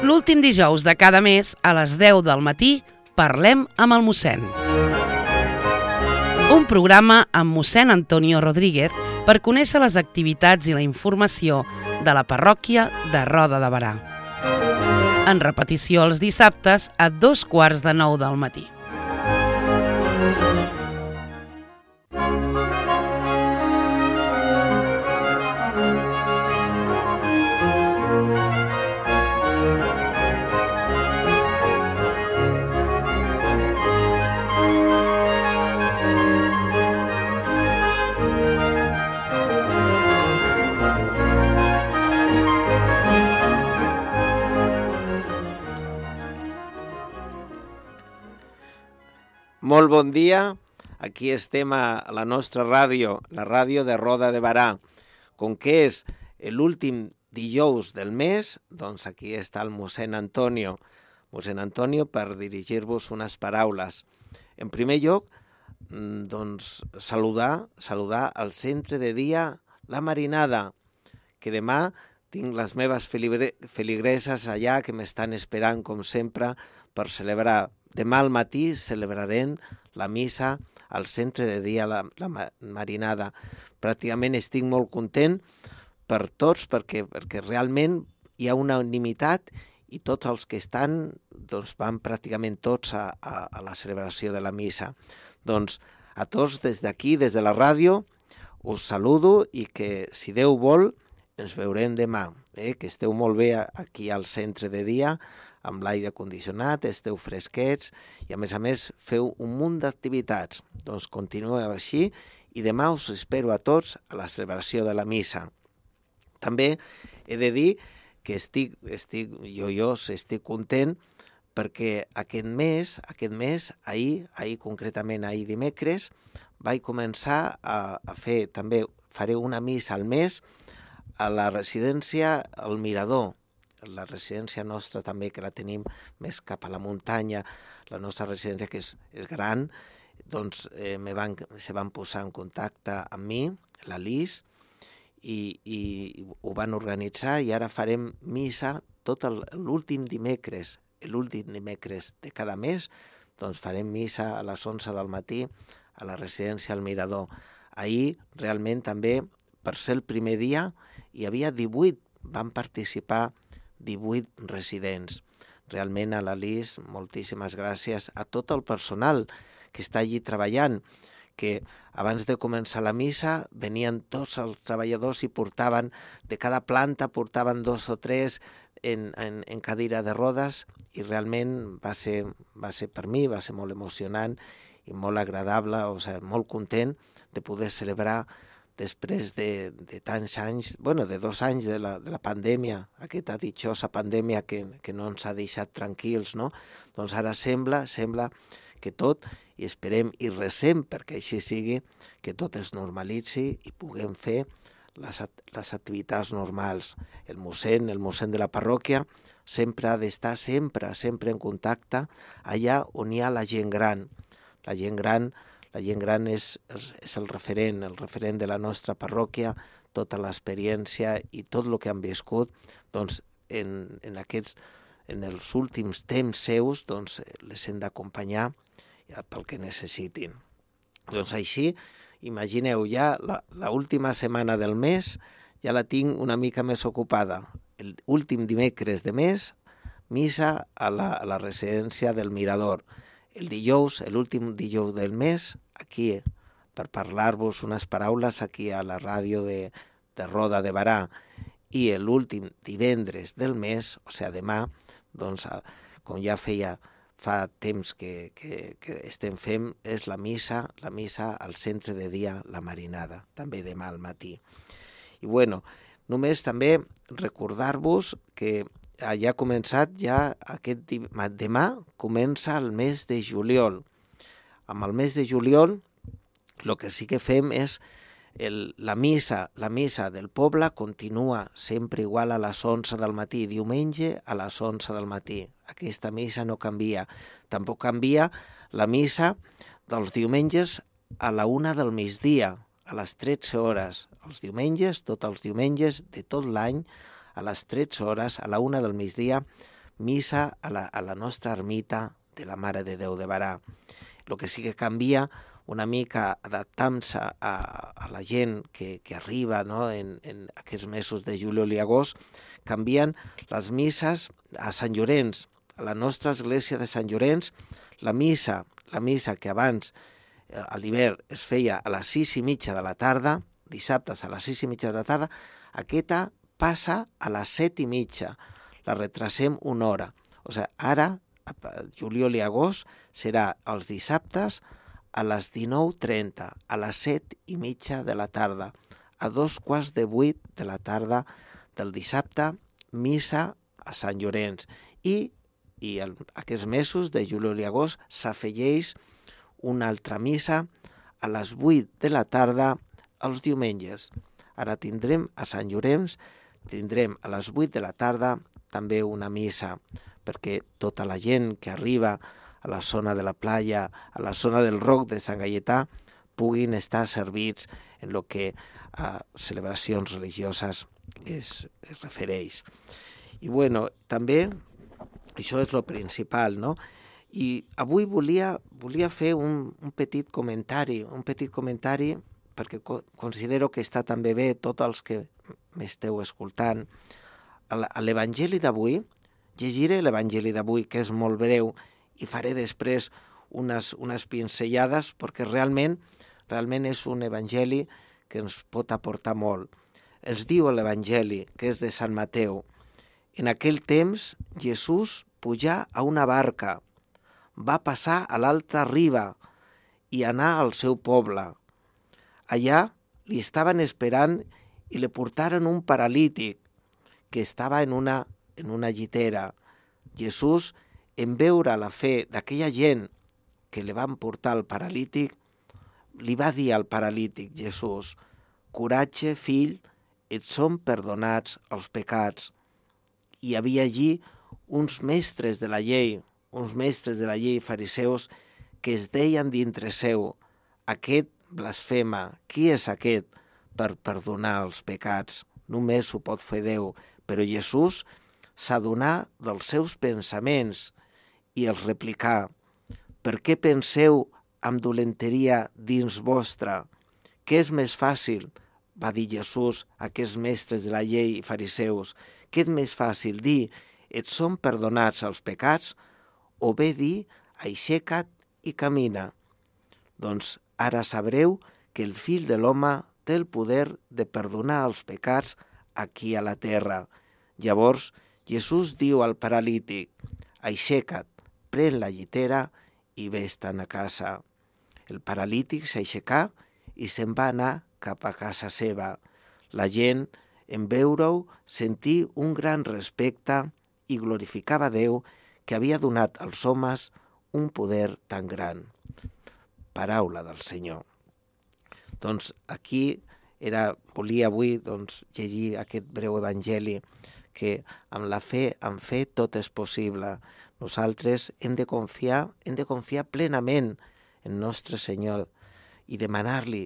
L'últim dijous de cada mes, a les 10 del matí, parlem amb el mossèn. Un programa amb mossèn Antonio Rodríguez per conèixer les activitats i la informació de la parròquia de Roda de Berà. En repetició els dissabtes a 8:45 del matí. Molt bon dia, aquí estem a la nostra ràdio, la ràdio de Roda de Berà. Com que és l'últim dijous del mes, doncs aquí està el mossèn Antonio. Mossèn Antonio per dirigir-vos unes paraules. En primer lloc, doncs saludar al centre de dia La Marinada, que demà tinc les meves feligreses allà que m'estan esperant, com sempre, per celebrar. Demà al matí celebrarem la missa al centre de dia la Marinada. Pràcticament estic molt content per tots perquè realment hi ha una unanimitat i tots els que estan doncs, van pràcticament tots a la celebració de la missa. Doncs a tots des d'aquí, des de la ràdio, us saludo i que si Déu vol ens veurem demà. Que esteu molt bé aquí al centre de dia, amb l'aire condicionat, esteu fresquets i a més feu un munt d'activitats. Doncs continueu així i demà us espero a tots a la celebració de la missa. També he de dir que estic content perquè aquest mes, concretament ahir dimecres, vaig començar a fer, també faré una missa al mes a la residència El Mirador. La residència nostra també, que la tenim més cap a la muntanya, la nostra residència que és gran, doncs se van posar en contacte amb mi, la Lis, i ho van organitzar i ara farem missa tot l'últim dimecres de cada mes, doncs farem missa a les 11 del matí a la residència El Mirador. Ahir realment també, per ser el primer dia, hi havia 18, van participar 18 residents. Realment a la Lis, moltíssimes gràcies a tot el personal que està allí treballant, que abans de començar la missa venien tots els treballadors i portaven, de cada planta portaven 2 o 3 en cadira de rodes i realment va ser per mi, va ser molt emocionant i molt agradable, molt content de poder celebrar després de tants anys, de 2 anys de la pandèmia, aquesta ditxosa pandèmia que no ens ha deixat tranquils, no? Doncs ara sembla que tot, i esperem i recem perquè així sigui, que tot es normalitzi i puguem fer les activitats normals. El mossèn de la parròquia sempre ha d'estar sempre en contacte allà on hi ha la gent gran. La gent gran és el referent de la nostra parròquia, tota l'experiència i tot el que han viscut, doncs en els últims temps seus, doncs les hem d'acompanyar pel que necessitin. Doncs així, imagineu, ja l'última setmana del mes ja la tinc una mica més ocupada. L'últim dimecres de mes, missa a la residència del Mirador. El dijous, l'últim dijous del mes, aquí, per parlar-vos unes paraules aquí a la ràdio de Roda de Berà. I l'últim divendres del mes, demà, doncs, com ja fa temps que estem fent, és la missa al centre de dia La Marinada, també demà al matí. I només també recordar-vos que ja ha començat, demà comença el mes de juliol. Amb el mes de juliol, el que sí que fem és la missa del poble continua sempre igual a les 11 del matí, diumenge a les 11 del matí. Aquesta missa no canvia. Tampoc canvia la missa dels diumenges a la 1 del migdia, a les 13 hores. Els diumenges, tots els diumenges de tot l'any, a les 13 hores, a la 1 del migdia, missa a la nostra ermita de la Mare de Déu de Barà. El que sí que canvia una mica adaptant-se a la gent que arriba, no? en aquests mesos de juliol i agost, canvien les misses a Sant Llorenç. A la nostra església de Sant Llorenç, la missa que abans a l'hivern es feia a les 6:30 de la tarda, dissabtes a les 6:30 de la tarda, aquesta passa a les 7:30, la retrasem una hora. O sigui, ara, juliol i agost, serà els dissabtes a les 19:30, a les 7:30 de la tarda, a 7:15 de la tarda del dissabte, missa a Sant Llorenç. I aquests mesos de juliol i agost s'afegeix una altra missa a les 8 de la tarda els diumenges. Ara tindrem a Sant Llorenç, tindrem a les 8 de la tarda també una missa, perquè tota la gent que arriba a la zona de la playa, a la zona del Roc de Sant Gaietà, puguin estar servits en el que a celebracions religioses es refereix. I bueno, també això és el principal, no? I avui volia fer un petit comentari, perquè considero que està també bé tots els que m'esteu escoltant. A l'Evangeli d'avui, llegiré l'Evangeli d'avui, que és molt breu, i faré després unes pinzellades, perquè realment és un Evangeli que ens pot aportar molt. Ens diu l'Evangeli, que és de Sant Mateu: en aquell temps Jesús pujà a una barca, va passar a l'altra riba i anar al seu poble. Allà li estaven esperant i li portaren un paralític que estava en una llitera. Jesús, en veure la fe d'aquella gent que li van portar el paralític, li va dir al paralític Jesús: coratge, fill, et són perdonats els pecats. Hi havia allí uns mestres de la llei fariseus, que es deien dintre seu: aquest blasfema, qui és aquest per perdonar els pecats? Només ho pot fer Déu. Però Jesús s'adonà dels seus pensaments i els replicà: per què penseu amb dolenteria dins vostra? Què és més fàcil? Va dir Jesús a aquests mestres de la llei i fariseus. Què és més fàcil dir: et són perdonats els pecats, o bé dir: aixeca't i camina? Doncs ara sabreu que el fill de l'home té el poder de perdonar els pecats aquí a la terra. Llavors Jesús diu al paralític: aixeca't, pren la llitera i vés-te'n a casa. El paralític s'aixecà i se'n va anar cap a casa seva. La gent, en veure-ho, sentí un gran respecte i glorificava Déu, que havia donat als homes un poder tan gran. Paraula del Senyor. Doncs aquí volia avui llegir aquest breu evangeli, que amb la fe, amb fe tot és possible. Nosaltres hem de confiar plenament en nostre Senyor i demanar-li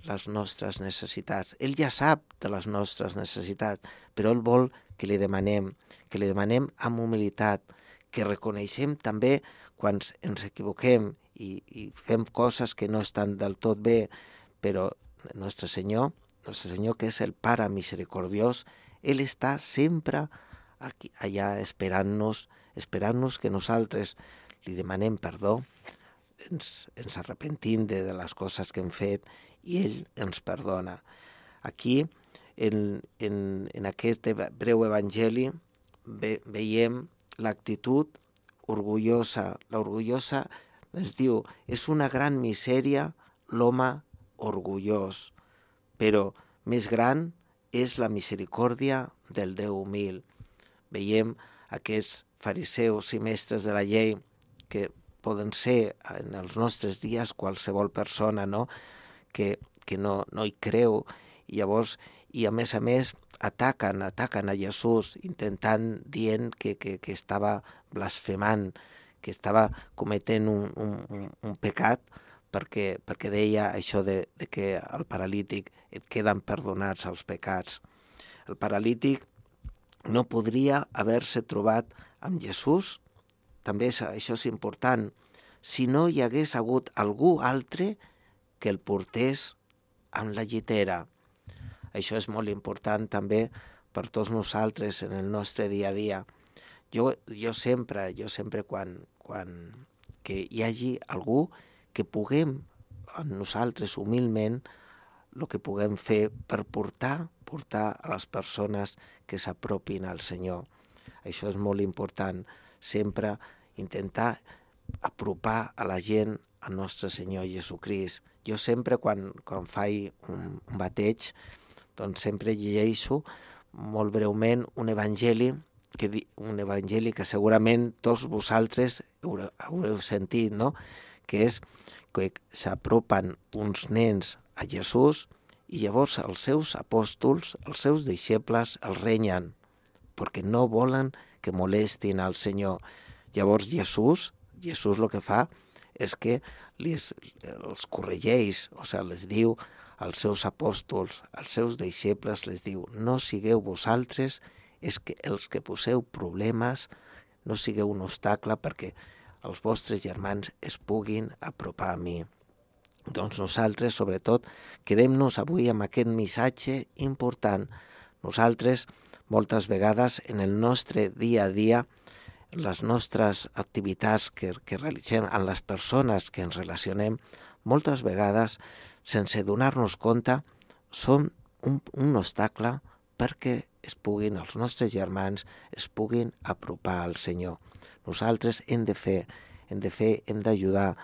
les nostres necessitats. Ell ja sap de les nostres necessitats, però ell vol que li demanem amb humilitat, que reconeixem també quan ens equivoquem i fem coses que no estan del tot bé, però nostre Senyor, que és el Pare misericordiós, ell està sempre allà esperant-nos que nosaltres li demanem perdó, ens arrepentim de les coses que hem fet i ell ens perdona. Aquí, en aquest breu evangeli, veiem l'actitud orgullosa. L'orgullosa ens diu: és una gran misèria l'home orgullós, però més gran és la misericòrdia del Déu humil. Veiem aquests fariseus i mestres de la llei, que poden ser en els nostres dies qualsevol persona, no? que no hi creu, i llavors, i a més ataquen a Jesús, dient que estava blasfemant, que estava cometent un pecat, perquè deia això de que al paralític et queden perdonats els pecats. El paralític no podria haver-se trobat amb Jesús, també això és important, si no hi hagués hagut algú altre que el portés amb la llitera. Això és molt important també per tots nosaltres en el nostre dia a dia. Jo sempre quan que hi hagi algú que puguem nosaltres humilment el que puguem fer per portar a les persones que s'apropin al Senyor. Això és molt important, sempre intentar apropar a la gent al nostre Senyor Jesucrist. Jo sempre quan faig un bateig, doncs sempre llegeixo molt breument un evangeli que segurament tots vosaltres haureu sentit, no? Que és que s'apropen uns nens a Jesús i llavors els seus apòstols, els seus deixebles, els renyen perquè no volen que molestin al Senyor. Llavors Jesús el que fa és que els corregeix, o sigui, les diu als seus apòstols, als seus deixebles, les diu: no sigueu vosaltres els que poseu problemes, no sigueu un obstacle perquè els vostres germans es puguin apropar a mi. Doncs nosaltres, sobretot, quedem-nos avui amb aquest missatge important. Nosaltres, moltes vegades, en el nostre dia a dia, en les nostres activitats que realitzem, amb les persones que ens relacionem, moltes vegades, sense donar-nos compte, són un obstacle perquè els nostres germans es puguin apropar al Senyor. Nosaltres hem d'ajudar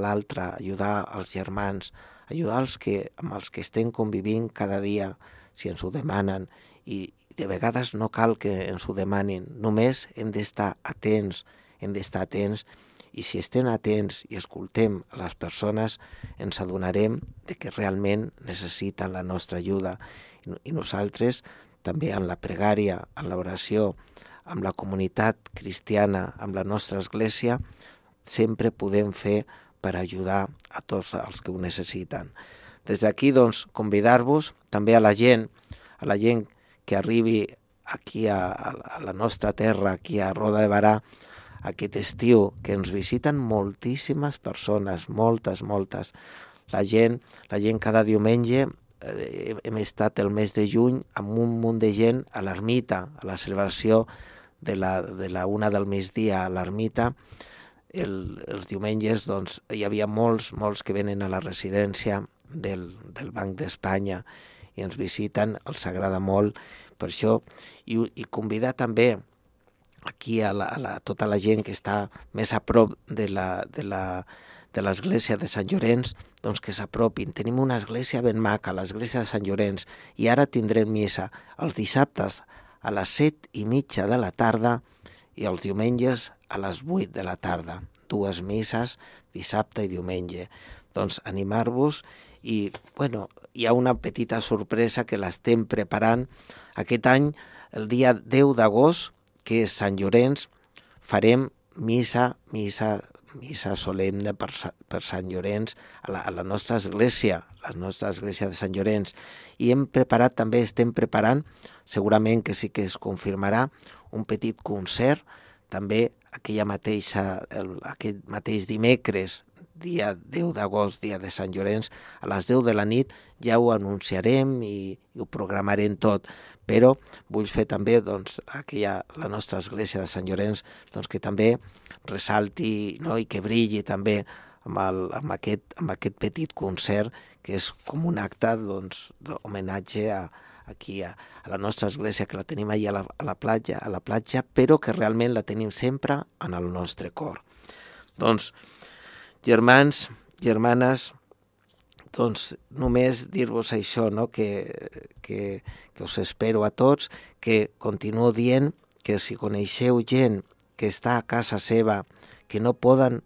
l'altre, ajudar els germans, ajudar amb els que estem convivint cada dia, si ens ho demanen, i de vegades no cal que ens ho demanin, només hem d'estar atents, i si estem atents i escoltem a les persones, ens adonarem de que realment necessiten la nostra ajuda. I nosaltres, també en la pregària, en l'oració, amb la comunitat cristiana, amb la nostra església, sempre podem fer per ajudar a tots els que ho necessiten. Des d'aquí, doncs, convidar-vos també a la gent que arribi aquí a la nostra terra, aquí a Roda de Berà, aquest estiu, que ens visiten moltíssimes persones, moltes. La gent cada diumenge, hem estat el mes de juny amb un munt de gent a l'ermita, a la celebració de la 1 del migdia a l'ermita. Els diumenges doncs, hi havia molts que venen a la residència del Banc d'Espanya i ens visiten, els agrada molt per això, i convidar també aquí a tota la gent que està més a prop de l'església de Sant Llorenç, doncs que s'apropin. Tenim una església ben maca, l'església de Sant Llorenç, i ara tindrem missa els dissabtes a les 7:30 de la tarda i els diumenges a les 8 de la tarda. 2 misses, dissabte i diumenge. Doncs animar-vos i, hi ha una petita sorpresa que l'estem preparant. Aquest any, el dia 10 d'agost, que és Sant Llorenç, farem missa solemne per Sant Llorenç a la nostra església, de Sant Llorenç. I estem preparant, segurament que sí que es confirmarà, un petit concert, també aquest mateix dimecres, dia 10 d'agost, dia de Sant Llorenç, a les 10 de la nit ja ho anunciarem i ho programarem tot. Però vull fer també la nostra església de Sant Llorenç que també ressalti, no? I que brilli també amb aquest petit concert, que és com un acte d'homenatge aquí a la nostra església, que la tenim allà a la platja, però que realment la tenim sempre en el nostre cor. Doncs, germans, germanes, doncs només dir-vos això, no? que us espero a tots, que continuo dient que si coneixeu gent que està a casa seva, que no poden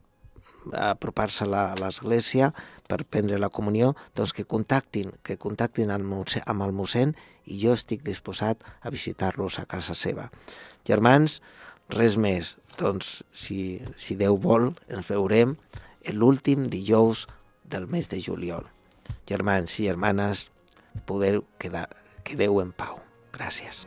apropar-se a l'església per prendre la comunió, doncs que contactin amb el mossèn, i jo estic disposat a visitar-los a casa seva. Germans, res més. Doncs, si Déu vol, ens veurem l'últim dijous del mes de juliol. Germans i germanes, quedeu en pau. Gràcies.